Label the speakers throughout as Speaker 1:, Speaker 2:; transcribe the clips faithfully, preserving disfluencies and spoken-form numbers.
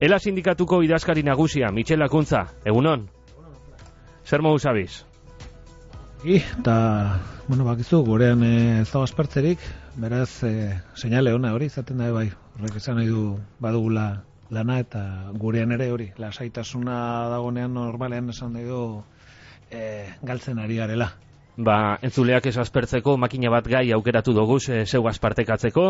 Speaker 1: Ela sindikatuko idazkari nagusia, Michel Akuntza, egunon? Zer modu zabiz?
Speaker 2: I, eta, bueno, bakizu, gurean ez dago aspertzerik, beraz, e, seinale ona hori, izaten da, bai, horrek esan nahi du badugula lana, eta gurean ere hori, lasaitasuna dagonean normalean esan nahi du e, galtzen ari garela.
Speaker 1: Ba, entzuleak ez aspertzeko makina bat gai aukeratu dugu e, zeugaz partekatzeko,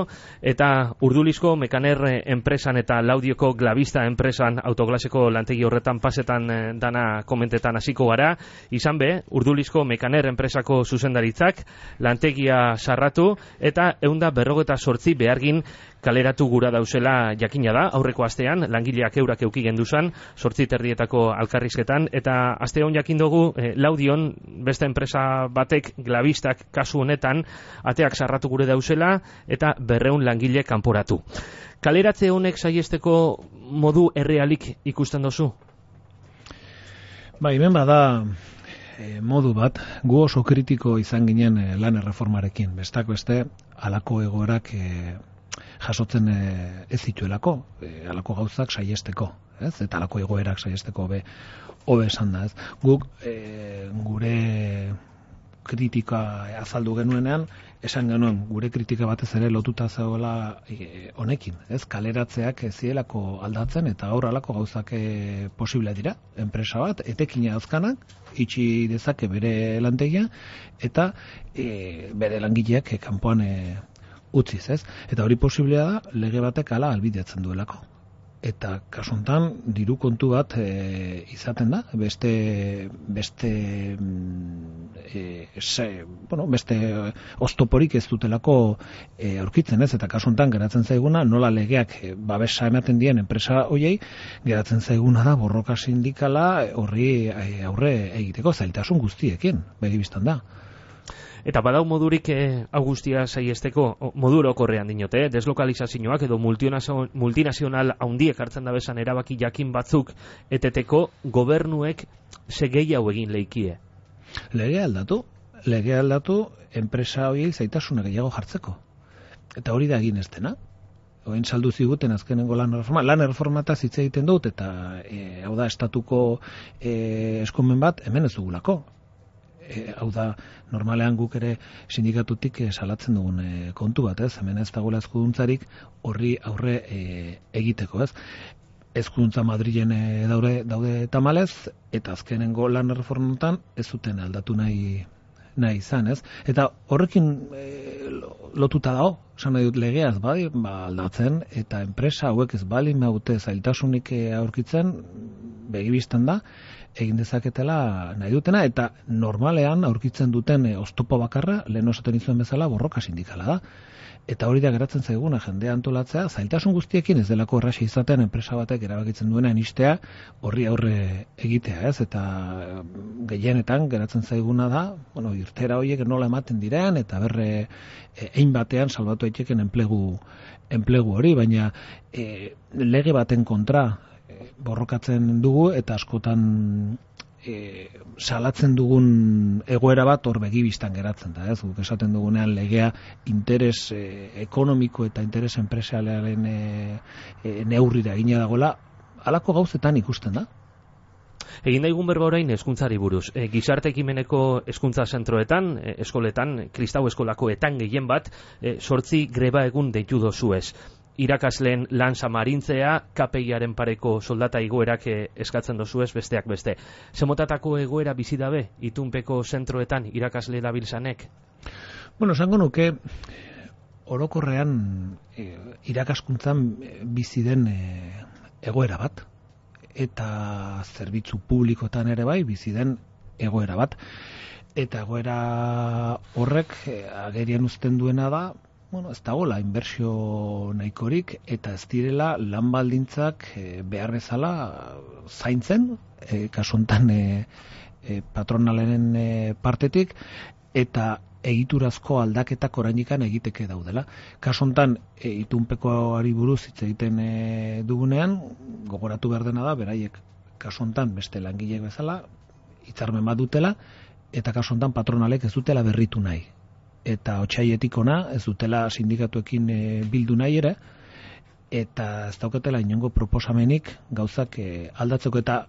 Speaker 1: eta Urdulizko Mekaner enpresan eta Laudioko Glavista enpresan autoglaseko lantegi horretan pasetan e, dana komentetan hasiko gara. Izan be, Urdulizko Mekaner enpresako zuzendaritzak lantegia sarratu eta ehunda berrogeta sortzi behargin kaleratu gura dauzela jakina da, aurreko astean, langileak eurak euki genduzan, sortzi terdietako alkarrizketan, eta aste hon jakin dugu, eh, Laudion, beste enpresa batek, Glavistak kasu honetan, ateak sarratu gure dauzela, eta berreun langile kanporatu. Kaleratze honek saiesteko modu errealik ikusten dozu?
Speaker 2: Ba, hemen bada e, modu bat, gu oso kritiko izan ginen e, lan erreformarekin, bestak beste, halako egoerak e, jasotzen e, ez zituelako, e, halako gauzak saiesteko, ez? Eta halako egoerak saiesteko be hobe esan da, ez? Guk e, gure kritika azaldu genuenean, esan genuen gure kritika batez ere lotuta zegoela e, honekin, ez? Kaleratzeak ez zielako aldatzen eta aur halako gauzak e, posible dira. Enpresa bat etekina azkanak itxi dezake bere lantegia eta e, bere langileak e, kanpoan e, utziz, ez? Eta hori posiblea da lege batek hala albidetzen duelako. Eta kasu honetan diru kontu bat e, izaten da, beste beste e, se, bueno, beste oztoporik ez dutelako e, aurkitzen, ez? Eta kasu honetan geratzen zaiguna nola legeak e, babesa ematen dien enpresa hoiei, geratzen zaiguna da borroka sindikala horri e, aurre egiteko zailtasun guztiekin, begi bistan da.
Speaker 1: Eta badau modurik eh, augustia saiesteko modu orokorrean dinote, eh? Deslokalizazioak edo multinazional handiek hartzen da bezan erabaki jakin batzuk eteteko gobernuek segei hau egin leikie.
Speaker 2: Lege aldatu, lege aldatu enpresa horiei zaitasuna gehiago jartzeko. Eta hori da egin ez dena. Oin saldu ziguten azkenengo lan reforma, lan reformata hitz egiten dut eta e, hau da estatuko e, eskumen bat hemen ez dugulako. E, hau da, normalean guk ere sindikatutik e, salatzen dugun e, kontu bat, ez? Hemen ez dagoela eskuduntzarik horri aurre e, egiteko, ez? Eskuduntza Madrilen e, daude, daude tamalez, eta azkenengo lan reformetan ez zuten aldatu nahi, nahi izan, ez? Eta horrekin e, lotuta dago, esan nahi dut legeaz, bai, ba, aldatzen, eta enpresa hauek ez bali maute zailtasunik e, aurkitzen, begibistan da, egin dezaketela nahi dutena, eta normalean aurkitzen duten e, oztopo bakarra, lehen osaten izuen bezala, borroka sindikala da. Eta hori da geratzen zaiguna, jendea antolatzea, zailtasun guztiekin ez delako errazi izaten enpresa batek erabakitzen duena inistea, horri aurre egitea, ez? Eta gehienetan geratzen zaiguna da, bueno, irtera horiek nola ematen diren, eta berre e, ein batean salbatu daiteken enplegu, enplegu hori, baina e, lege baten kontra borrokatzen dugu eta askotan e, salatzen dugun egoera bat hor begibistan geratzen da, ez? Guk esaten dugunean legea interes e, ekonomiko eta interes enpresarialen e, e, neurrira egina dagoela, halako gauzetan ikusten da.
Speaker 1: Egin daigun berba orain hezkuntzari buruz. E, gizarte ekimeneko hezkuntza zentroetan, e, eskoletan, kristau eskolakoetan gehien bat, e, sortzi greba egun deitu dozuez. Irakasleen lan samarintzea, K P I-aren pareko soldata igoerak eskatzen dozuez besteak beste. Zemotatako egoera bizi dabe, itunpeko zentroetan irakasle dabiltzanek?
Speaker 2: Bueno, esango nuke, orokorrean e, irakaskuntzan bizi den e, egoera bat, eta zerbitzu publikotan ere bai bizi den egoera bat. Eta egoera horrek e, agerian uzten duena da, bueno, ez dagoela inbertsio nahikorik eta ez direla lan baldintzak e, behar bezala zaintzen, e, kasu honetan e, e, patronalen e, partetik, eta egiturazko aldaketak oraindikan egiteke daudela. Kasu honetan e, itunpekoari buruz hitz egiten e, dugunean, gogoratu behar dena da, beraiek kasu honetan beste langileek bezala hitzarmen bat dutela, eta kasu honetan patronalek ez dutela berritu nahi. Eta otsailetik ona ez dutela sindikatuekin e, bildu nahi ere, eta ez daukatela inongo proposamenik gauzak e, aldatzeko, eta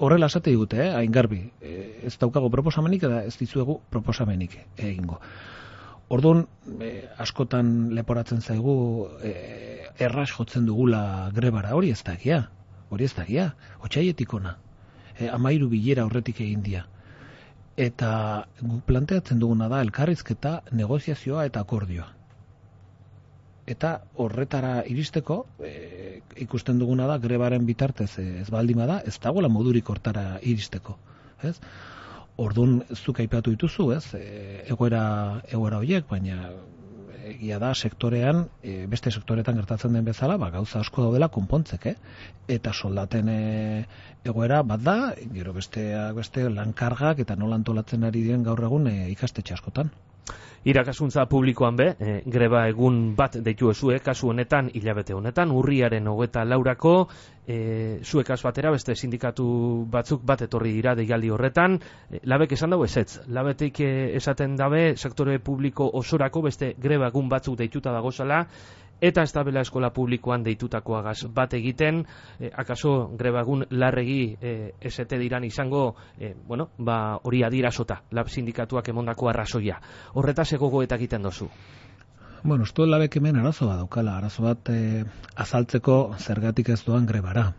Speaker 2: horrela esate digute, eh, hain garbi, e, ez daukago proposamenik eta ez dizuegu proposamenik egingo. Orduan, e, askotan leporatzen zaigu e, erraz jotzen dugula grebara, hori ez dakia, hori ez dakia, otxaietik ona, e, amairu bilera horretik egin dia. Eta guk planteatzen duguna da elkarrizketa, negoziazioa eta akordioa. Eta horretara iristeko, e, ikusten duguna da, grebaren bitartez ez baldin bada, ez dagoela modurik hortara iristeko. Ez? Orduan, zuk aipatu dituzu, ez? E, egoera, egoera horiek, baina egia da sektorean, e, beste sektoretan gertatzen den bezala, ba, gauza asko daudela konpontzek, eh? Eta soldaten e, egoera bat da, gero besteak beste lankargak eta nola antolatzen ari diren gaur egun e, ikastetxe askotan.
Speaker 1: Irakaskuntza publikoan be, e, greba egun bat deitu ezue, kasu honetan, hilabete honetan, urriaren hogeta laurako, e, zuekaz batera, beste sindikatu batzuk bat etorri dira deialdi horretan, e, labek esan dago ezetz, labetik e, esaten dabe, sektore publiko osorako beste greba egun batzuk deituta dagozala, eta ez dabela eskola publikoan deitutakoagaz bat egiten, e, akaso greba egun larregi e, esete diran izango, e, bueno, ba, hori adierazota, lab sindikatuak emondako arrazoia. Horretaz egogoetak egiten dozu.
Speaker 2: Bueno, uste labek hemen arazo bat daukala, arazo bat e, azaltzeko zergatik ez doan grebara.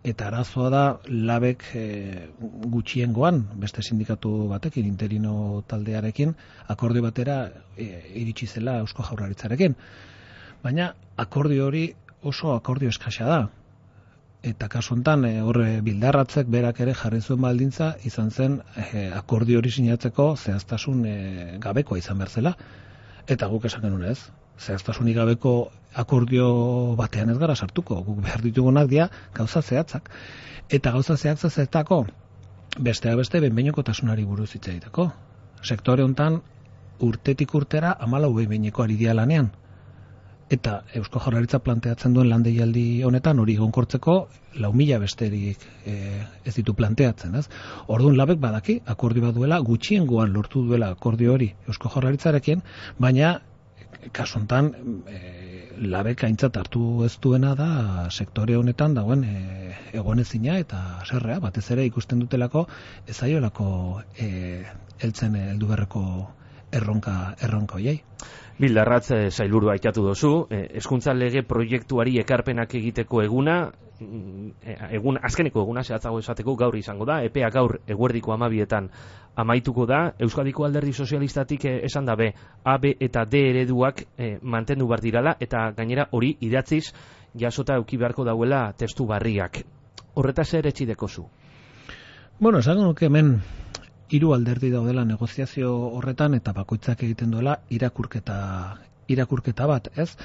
Speaker 2: Eta arazoa da labek e, gutxiengoan, beste sindikatu batekin, interino taldearekin, akordio batera e, iritsi zela Eusko Jaurlaritzarekin. Baina akordio hori oso akordio eskasa da. Eta kasu honetan horre bildarratzek berak ere jarri zuen baldintza izan zen e, akordio hori sinatzeko zehaztasun e, gabekoa izan behar zela. Eta guk esan genuen ez. Zehaztasunik gabeko akordio batean ez gara sartuko. Guk behar ditugunak dira gauza zehatzak. Eta gauza zehatza zetako besteak beste behin-behinekotasunari buruz hitz egiteko. Sektore honetan urtetik urtera hamalau behin-behineko ari dira lanean. Eta Eusko Jaurlaritza planteatzen duen landeialdi honetan hori egonkortzeko lau mila besterik e, ez ditu planteatzen, ez? Orduan labek badaki akordio bat duela, gutxiengoan lortu duela akordio hori Eusko Jaurlaritzarekin, baina kasu honetan e, labek aintzat hartu ez duena da sektore honetan dagoen e, egonezina eta serrea, batez ere ikusten dutelako ez zaiolako e, heltzen heldu berreko erronka erronka hoiei.
Speaker 1: Bildarratz e, sailburua aipatu dozu, e, hezkuntza lege proiektuari ekarpenak egiteko eguna, e, egun azkeneko eguna zehatzago esateko gaur izango da, epea gaur eguerdiko hamabietan amaituko da. Euskadiko Alderdi Sozialistatik e, esan dabe A, B eta D ereduak e, mantendu bar dirala, eta gainera hori idatziz jasota eduki beharko dauela testu barriak. Horretaz ere etxideko zu?
Speaker 2: Bueno, esango nuke hemen hiru alderdi daudela negoziazio horretan eta bakoitzak egiten duela irakurketa irakurketa bat, ez?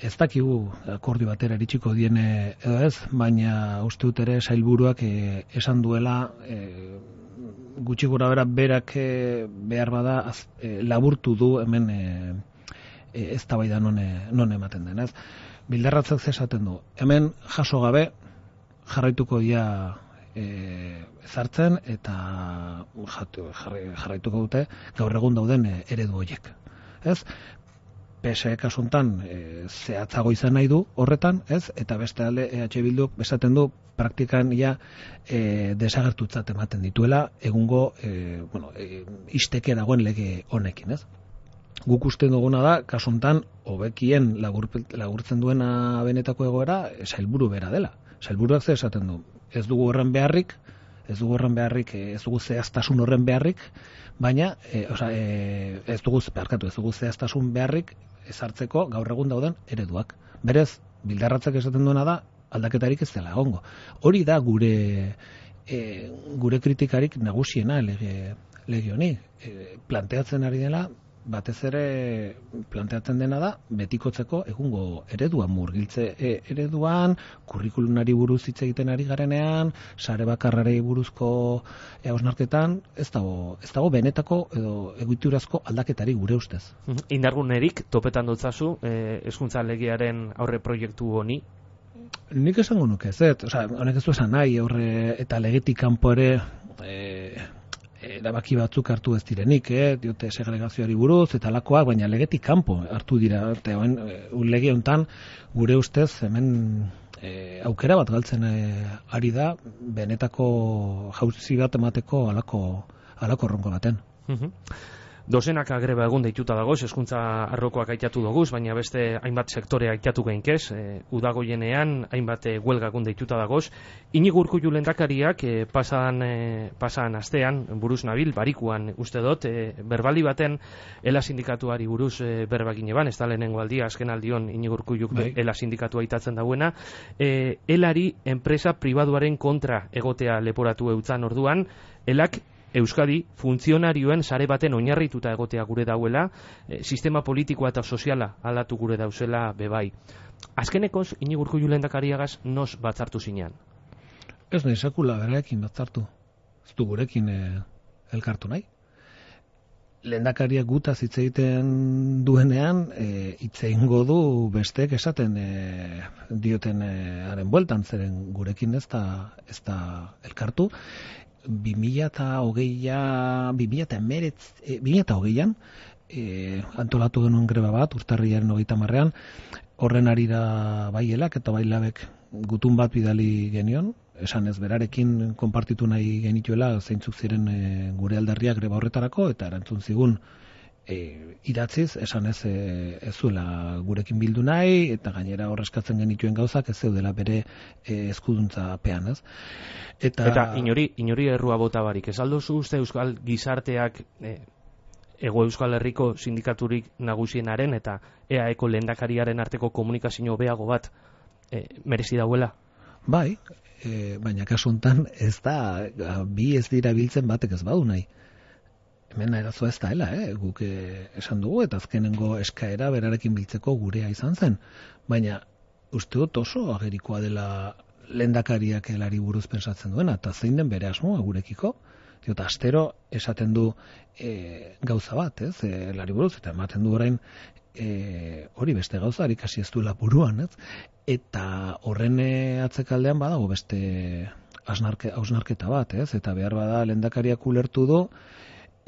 Speaker 2: Ez dakigu akordio batera iritsiko diene edo ez, baina uste dut ere sailburuak e, esan duela e, gutxi gora bera berak e, behar bada az, e, laburtu du hemen e, e, eztabaida non non ematen den, ez? Bildarratzak esaten du. Hemen jaso gabe jarraituko dira E, zartzen eta jarraituko dute gaur egun dauden e, eredu horiek. Ez? P S E kasu honetan e, zehatzago izan nahi du horretan, ez? Eta beste alde E H Bilduk esaten du praktikan ja e, desagertutzat ematen dituela egungo e, bueno, e, isteke dagoen lege honekin, ez? Guk uste duguna da kasu honetan hobekien lagur, lagurtzen duena benetako egoera sailburu bera dela. Sailburuak ze esaten du, ez dugu horren beharrik, ez dugu horren beharrik, ez dugu zehaztasun horren beharrik, baina e, oza, e, ez dugu beharkatu, ez dugu zehaztasun beharrik ezartzeko gaur egun dauden ereduak. Berez, Bildarratzak esaten duena da aldaketarik ez dela egongo. Hori da gure e, gure kritikarik nagusiena lege, lege honi. E, planteatzen ari dela, batez ere planteatzen dena da betikotzeko egungo ereduan, murgiltze e, ereduan, kurrikulunari buruz hitz egiten ari garenean, sare bakarrari buruzko hausnarketan, ez dago, ez dago benetako edo egiturazko aldaketari gure ustez.
Speaker 1: Indargunerik topetan dutzazu hezkuntza legearen aurre proiektu honi?
Speaker 2: Nik esango nuke ez, osea, honek ez du esan nahi aurre eta legetik kanpo ere e, erabaki batzuk hartu ez direnik, eh? Diote segregazioari buruz, eta alakoak, baina legetik kanpo hartu dira. Eta lege honetan, gure ustez, hemen e, aukera bat galtzen e, ari da, benetako jauzi bat emateko alako, alako ronko baten.
Speaker 1: Mhm. Dozenaka greba egun deituta dagoz, hezkuntza arlokoak aitatu doguz, baina beste hainbat sektore aitatu gainkez, e, udagoienean hainbat e, huelga egun deituta dagoz. Inigo Urkullu lehendakariak e, pasan, e, pasan astean, buruz nabil, barikuan uste dut, e, berbali baten Ela sindikatuari buruz e, berba gineban, ez da lehenengo aldia, azken aldion Inigo Urkulluk bai. Ela sindikatua aitatzen dauena, e, Elari enpresa pribaduaren kontra egotea leporatu eutzan orduan, Elak Euskadi funtzionarioen sare baten oinarrituta egotea gure dauela, e, sistema politikoa eta soziala aldatu gure dauzela bebai. Azkenekoz, Inigo Urkullu lehendakariagaz nos batzartu zinean?
Speaker 2: Ez nahi sekula berarekin batzartu. Ez du gurekin e, elkartu nahi. Lehendakariak gutaz hitz egiten duenean, e, hitz egingo du besteek esaten e, dioten e, haren bueltan, zeren gurekin ez da, ez da elkartu. bi mila hogeian e, antolatu genuen greba bat, urtarrilaren hogeita hamarrean, horren arira bai Elak eta bai Labek gutun bat bidali genion, esan ez berarekin konpartitu nahi genituela zeintzuk ziren e, gure alderriak greba horretarako, eta erantzun zigun e, idatziz, esan ez e, ez zuela gurekin bildu nahi, eta gainera horrezkatzen genituen gauzak ez zeudela bere e, eskuduntza pean, ez? Eta,
Speaker 1: eta inori, inori errua bota barik, ez aldozu uste Euskal gizarteak e, Ego Euskal Herriko sindikaturik nagusienaren eta E A Eko lehendakariaren arteko komunikazio beago bat e, merezi dauela?
Speaker 2: Bai, e, baina kasu honetan ez da, bi ez dira biltzen batek ez badu nahi. Hemen arazoa ez da hela, eh? Guk eh, esan dugu, eta azkenengo eskaera berarekin biltzeko gurea izan zen. Baina uste dut oso agerikoa dela lehendakariak Elari buruz pensatzen duena, eta zein den bere asmoa gurekiko. Eta astero esaten du e, gauza bat, ez? E, Elari buruz, eta ematen du orain e, hori beste gauza, ikasi ez duela buruan, ez? Eta horren atzekaldean badago beste hausnarke, hausnarketa bat, ez? Eta behar bada lehendakariak ulertu du,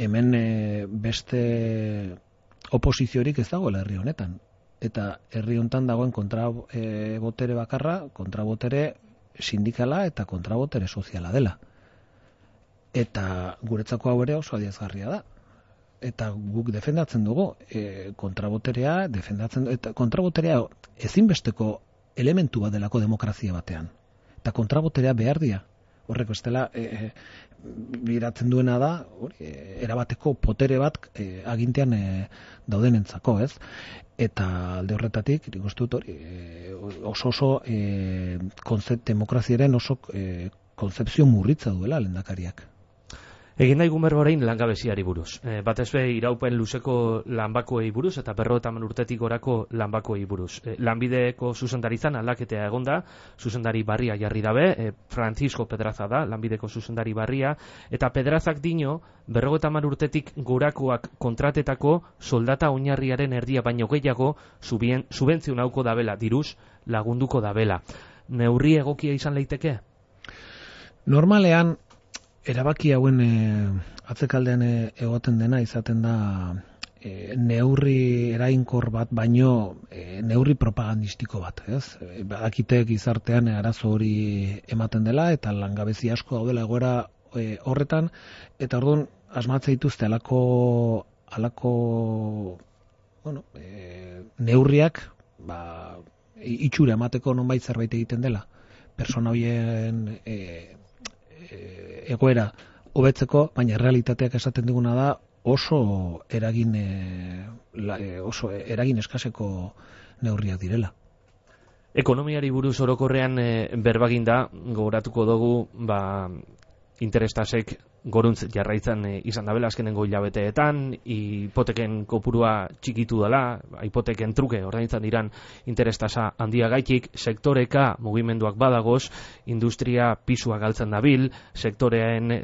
Speaker 2: hemen e, beste oposiziorik ez dagoela herri honetan. Eta herri honetan dagoen kontrabotere bakarra, kontrabotere sindikala eta kontrabotere soziala dela. Eta guretzako hau ere oso adierazgarria da. Eta guk defendatzen dugu e, kontraboterea, defendatzen eta kontraboterea ezinbesteko elementu bat delako demokrazia batean. Eta kontraboterea behar dira. Horrek bestela e, biratzen duena da, hori, e, erabateko potere bat e, agintean e, daudenentzako, ez? Eta alde horretatik, nik uste dut hori, e, oso oso e, konzept, demokraziaren oso e, konzepzio murritza duela lehendakariak.
Speaker 1: Egin daigu berba orain langabeziari buruz. E, batez be iraupen luzeko lanbakoei buruz eta berrogeita hamar urtetik gorako lanbakoei buruz. E, lanbideko zuzendaritzan aldaketea egonda, zuzendari barria jarri dabe, e, Francisco Pedraza da, lanbideko zuzendari barria, eta Pedrazak dino, berrogeita hamar urtetik gorakoak kontratetako soldata oinarriaren erdia baino gehiago subentzio nauko dabela, diruz lagunduko dabela. Neurri egokia izan leiteke?
Speaker 2: Normalean, erabaki hauen e, atzekaldean e, egoten dena izaten da e, neurri erainkor bat baino e, neurri propagandistiko bat, ez? E, badakite gizartean arazo hori ematen dela eta langabezi asko daudela egoera e, horretan, eta orduan asmatze dituzte alako alako bueno, e, neurriak ba, itxura emateko nonbait zerbait egiten dela. Persona horien e, egoera hobetzeko, baina realitateak esaten diguna da oso eragin e, la, e, oso eragin eskaseko neurriak direla.
Speaker 1: Ekonomiari buruz orokorrean e, berbagin da, gogoratuko dugu, ba, interestasek goruntz jarraitzen e, izan dabela azkenengo hilabeteetan, hipoteken kopurua txikitu dela, hipoteken truke ordaintzen diran interestasa handia gaitik, sektoreka mugimenduak badagoz, industria pisua galtzen dabil, sektorean, e,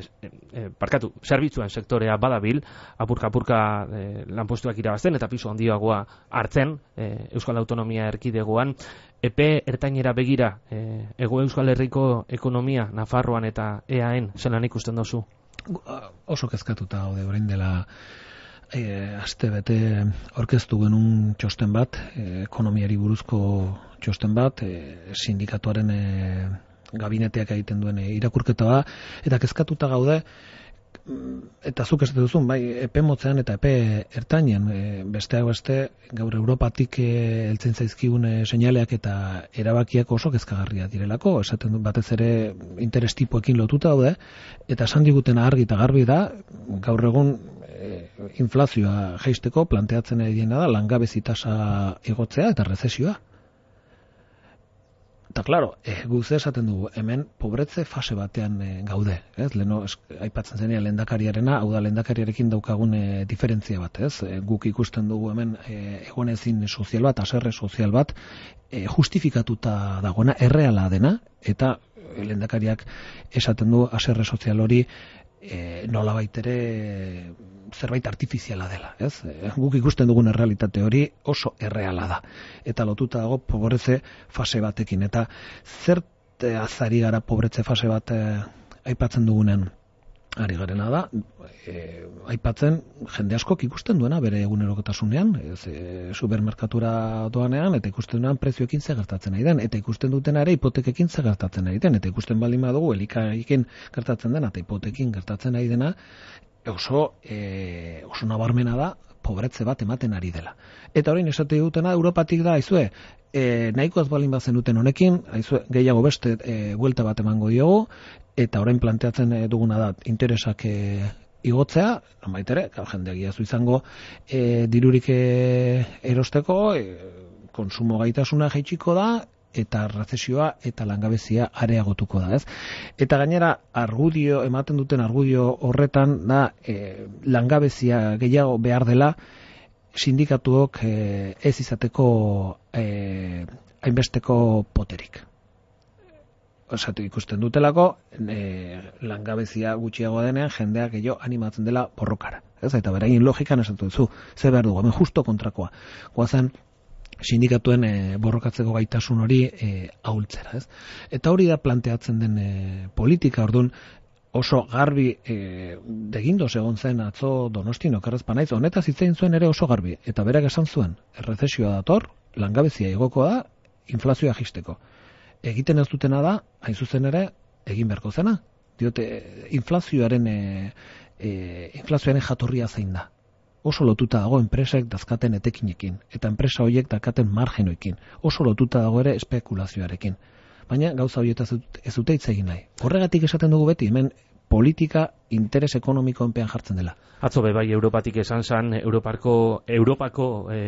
Speaker 1: e, parkatu, zerbitzuen sektorea badabil, apurka-apurka e, lanpostuak irabazten eta pisu handiagoa hartzen, e, Euskal Autonomia Erkidegoan, epe ertainera begira, e, Ego Euskal Herriko ekonomia, Nafarroan eta E A en zelan ikusten dozu?
Speaker 2: oso kezkatuta gaude orain dela e, aste bete aurkeztu genuen txosten bat, e, ekonomiari buruzko txosten bat, e, sindikatuaren e, gabineteak egiten duen e, irakurketa da, eta kezkatuta gaude, eta zuk ez duzun, bai, epe motzean eta epe ertainean, e, besteak beste, gaur Europatik e, heltzen zaizkigun e, seinaleak eta erabakiak oso kezkagarria direlako, esaten du batez ere interes tipoekin lotuta daude, eta esan digutena argi eta garbi da, gaur egun e, inflazioa jaisteko planteatzen ediena da, langabezi tasa igotzea eta rezesioa. Eta, klaro, e, guze esaten dugu, hemen pobretze fase batean e, gaude, ez? Leno, es, aipatzen zenia lehendakariarena, hau da lehendakariarekin daukagun e, diferentzia bat, ez? E, guk ikusten dugu hemen e, egonezin sozial bat, aserre sozial bat, e, justifikatuta dagoena, erreala dena, eta e, lehendakariak esaten du aserre sozial hori e, nolabait ere zerbait artifiziala dela, ez? E, guk ikusten dugun errealitate hori oso erreala da. Eta lotuta dago pobretze fase batekin. Eta zer azari gara pobretze fase bat e, aipatzen dugunen ari garena da, e, aipatzen jende askok ikusten duena bere egunerokotasunean, ez, e, supermerkatura doanean, eta ikusten duenan prezioekin ze gertatzen nahi den, eta ikusten dutena ere hipotekekin ze gertatzen nahi den, eta ikusten baldin badugu elikagaikin gertatzen dena, eta hipotekin gertatzen nahi dena, oso, e, oso nabarmena da, pobretze bat ematen ari dela. Eta orain esate dutena Europatik da, aizue, e, nahiko ez balin bazen duten honekin, aizue, gehiago beste e, buelta bat emango diogu, eta orain planteatzen duguna da interesak e, igotzea, baitere, jendeak iazu izango e, dirurik e, erosteko, e, konsumo gaitasuna jaitsiko da, eta rezesioa eta langabezia areagotuko da, ez? Eta gainera, argudio, ematen duten argudio horretan da, e, langabezia gehiago behar dela, sindikatuok e, ez izateko e, hainbesteko poterik. Osatu ikusten dutelako, e, langabezia gutxiago denean, jendeak gehiago animatzen dela borrokara. Ez? Eta beraien logikan esatu duzu, ze behar dugu, hemen justo kontrakoa. Goazen, sindikatuen e, borrokatzeko gaitasun hori e, ahultzera, ez? Eta hori da planteatzen den e, politika, orduan oso garbi e, degindoz egon zen atzo Donostin okerrezpa naiz, honetaz hitzein zuen ere oso garbi, eta berak esan zuen, errezesioa dator, langabezia igoko da, inflazioa jisteko. Egiten ez dutena da, hain zuzen ere, egin beharko zena. Diote, inflazioaren e, e, inflazioaren jatorria zein da. Oso lotuta dago enpresek dazkaten etekinekin, eta enpresa horiek dakaten margenoekin. Oso lotuta dago ere espekulazioarekin. Baina gauza horietaz ez dute hitz egin nahi. Horregatik esaten dugu beti, hemen politika interes ekonomikoenpean jartzen dela.
Speaker 1: Atzo be bai Europatik esan zan, Europarko, Europako e,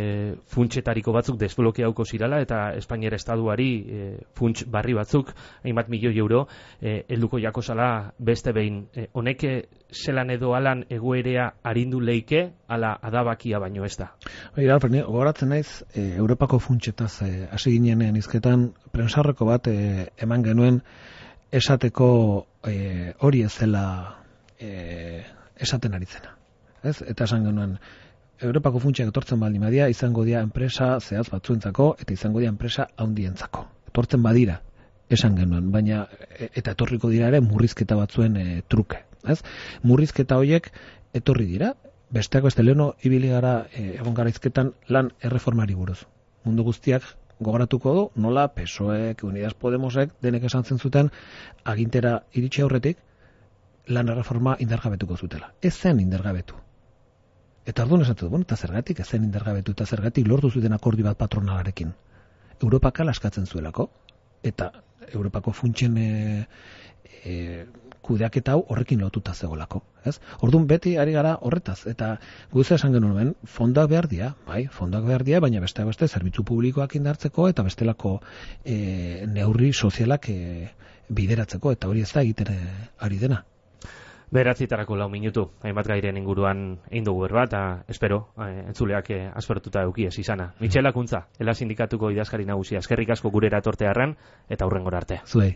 Speaker 1: funtsetariko batzuk desblokeauko zirala, eta Espainiar estaduari e, funts barri batzuk, hainbat milioi euro, e, helduko jako zala beste behin. E, honeke zelan edo alan egoerea arindu leike, ala adabakia baino ez da.
Speaker 2: Baina, gogoratzen naiz, e, Europako funtsetaz hasi e, ginenean izketan, prensarreko bat e, eman genuen esateko e, hori ez zela e, esaten aritzena. Ez? Eta esan genuen, Europako funtsak etortzen baldin badia, izango dira enpresa zehaz batzuentzako, eta izango dira enpresa handientzako. Etortzen badira, esan genuen, baina eta etorriko dira ere murrizketa batzuen e, truke. Ez? Murrizketa horiek etorri dira, besteak beste leheno ibili gara e, egon garaizketan lan erreformari buruz. Mundu guztiak gogoratuko du, nola P S O E, Unidas Podemosek, denek esan zen zuten, agintera iritsi aurretik, lan erreforma indargabetuko zutela. Ez zen indargabetu. Eta orduan esatu du, bueno, eta zergatik, ez zen indargabetu, eta zergatik lortu zuten akordio bat patronalarekin. Europaka askatzen zuelako, eta Europako funtsen e, e, kudeaketa hau horrekin lotuta zegoelako. Ez? Orduan beti ari gara horretaz, eta guze esan genuen, fondoak behar dira, bai, fondoak behar dira, baina besteak beste zerbitzu publikoak indartzeko, eta bestelako e, neurri sozialak e, bideratzeko, eta hori ez da egiten e, ari dena.
Speaker 1: Beratzitarako lau minutu, hainbat gairen inguruan egin dugu berba, eta espero, eh, entzuleak eh, aspertuta eukiez izana. Mitxel Akuntza, Ela Sindikatuko idazkari nagusia, eskerrik asko gurera etortearren, eta hurrengora arte.
Speaker 2: Zuei.